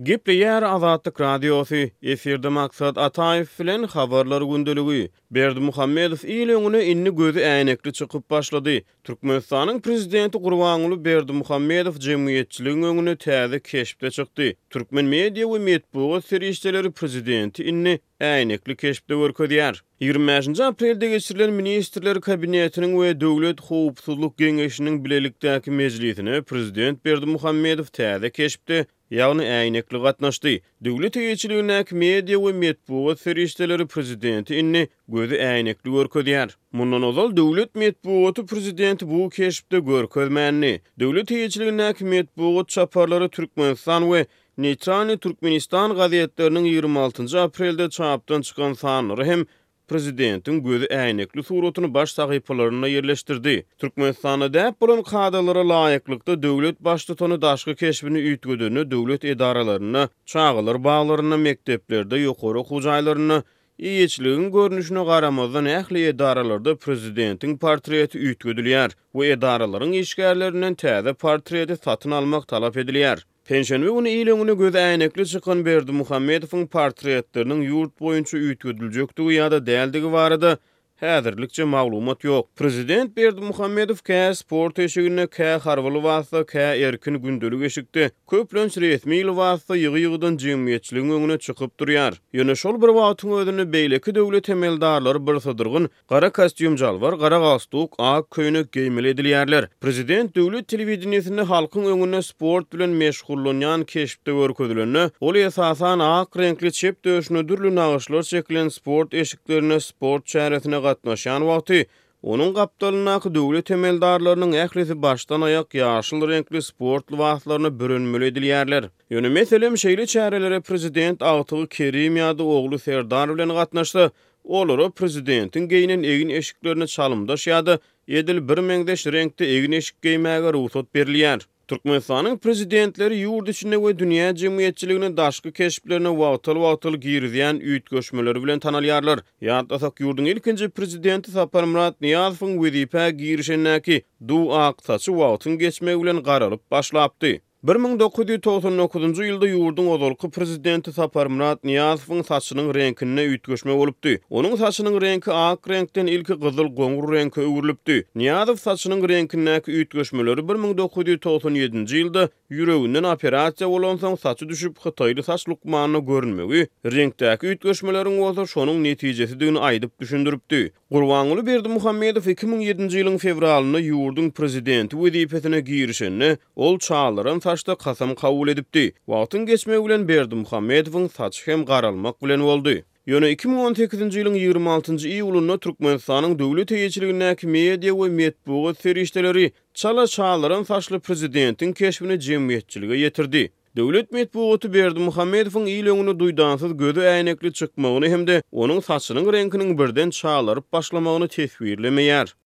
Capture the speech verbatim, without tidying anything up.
Gepleýär Azatlyk Radiosy, efirde Maksat Ataýew bilen Habarlar gündeligi. Berdimuhamedow il öňüne indi gözi äýnekli çykyp başlady. Türkmenistanyň prezidenti Gurbanguly Berdimuhamedow jemgyýetçiligiň öňüne täze keşpde çykdy. Türkmen media we metbugat serişdeleri prezidenti indi äýnekli keşpde görkezýär. Ýigrimi bäşinji aprelde geçirilen Ministrler Kabinetiniň we Döwlet howpsuzlyk geňeşiniň bilelikdäki mejlisine prezident Berdimuhamedow täze keşpde, ýagny äýnekli gatnaşdy. Döwlet eýeçiligindäki media we metbugat serişdeleri prezidenti indi gözi äýnekli görkezýär. Mundan ozal döwlet metbugaty prezidenti bu keşpde görkezmändi. Döwlet eýeçiligindäki metbugat çaparlary Türkmenistan we Neýtralnyý Türkmenistan gazetleriniň ýigrimi altynjy aprelde çapdan çykan sanlary hem prezidentiň gözi äýnekli suratyny baş sahypalarynda ýerleşdirdi. Türkmenistanda däp bolan kadalara laýyklykda döwlet baştutany daşky keşbini üýtgedende döwlet edaralarynda, çagalar baglarynda, mekdeplerde, ýokary okuw jaýlarynda, eýeçiligiň görnüşine garamazdan ähli edaralarda prezidentiň portreti üýtgedilýär we edaralaryň işgärlerinden täze portreti satyn almak talap edilýär. Penşenbe güni il öňüne gözi äýnekli çykan Berdimuhamedowyň portretleriniň ýurt boýunça üýtgediljekdigi ýa-da däldigi barada häzirlikçe maglumat ýok. Prezident Berdimuhamedow kä sport eşiginde, kä harby lybasda, kä erkin gündelik eşikde, köplenç resmi lybasda ýygy-ýygydan jemgyýetçiligiň öňüne çykyp durýar. Ýöne şol bir wagtyň özünde beýleki döwlet emeldarlary birsydyrgyn gara kostýum-jalbar, gara galstuk, ak köýnek geýmeli edilýärler. Prezident döwlet telewideniýesinde halkyň öňünde sport bilen meşgullanýan keşpde görkezilende, ol esasan ak reňkli çep döşüne dürli nagyşlar çekilen sport eşiklerinde sport çäresine gatnaşýan wagty, onuň gapdalyndaky döwlet emeldarlarynyň ählisi başdan-aýak ýaşyl reňkli sport lybaslaryna bürenmeli edilýärler. Ýöne meselem, şeýle çärelere prezident agtygy Kerim ýa-da ogly Serdar bilen gatnaşsa, olara prezidentiň geýnen egin-eşiklerine çalymdaş ýa-da edil birmeňzeş reňkde egin-eşik geýmäge rugsat berilýär. Türkmenistanyň prezidentleri ýurt içinde we dünýä jemgyýetçiligine daşky keşplerine wagtal-wagtal girizýän üýtgeşmeleri bilen tanalýarlar. Ýatlasak, ýurduň ilkinji prezidenti Saparmyrat Nyýazowyň wezipä girişendäki duw ak saçy wagtyň geçmegi bilen garalyp başlapdy. Bir müň dokuz ýüz togsan dokuzynjy ýylda ýurduň ozalky prezidenti Saparmyrat Nyýazowyň saçynyň reňkinde üýtgeşme bolupdy. Onuň saçynyň reňki ak reňkden ilki gyzyl-goňur reňke öwrülipdi. Nyýazow saçynyň reňkindäki üýtgeşmeleri bir müň dokuz ýüz togsan ýedinji ýylda ýüreginden operasiýa bolansoň saçy düşüp hytaýly saç lukmanyna görünmegi, reňkdäki üýtgeşmeleriň bolsa şonuň netijesidigini aýdyp düşündiripdi. Gurbanguly Berdimuhamedow iki müň ýedinji ýylyň fewralynda ýurduň prezidenti wezipesine girişende, ol çalaran saçda kasam kabul edipdi. Wagtyň geçmegi bilen Berdimuhamedowyň saçy hem garalmak bilen boldy. Ýöne iki müň on sekizinji ýylyň ýigrimi altynjy iýulynda Türkmenistanyň döwlet eýeçiligindäki media we metbugat serişdeleri çala çalaran saçly prezidentiň keşbini jemgyýetçilige ýetirdi. Döwlet metbugaty Berdimuhamedowyň il öňüne duýdansyz gözi äýnekli çykmagyny hem-de onuň saçynyň reňkiniň birden çalaryp başlamagyny teswirlemeýär.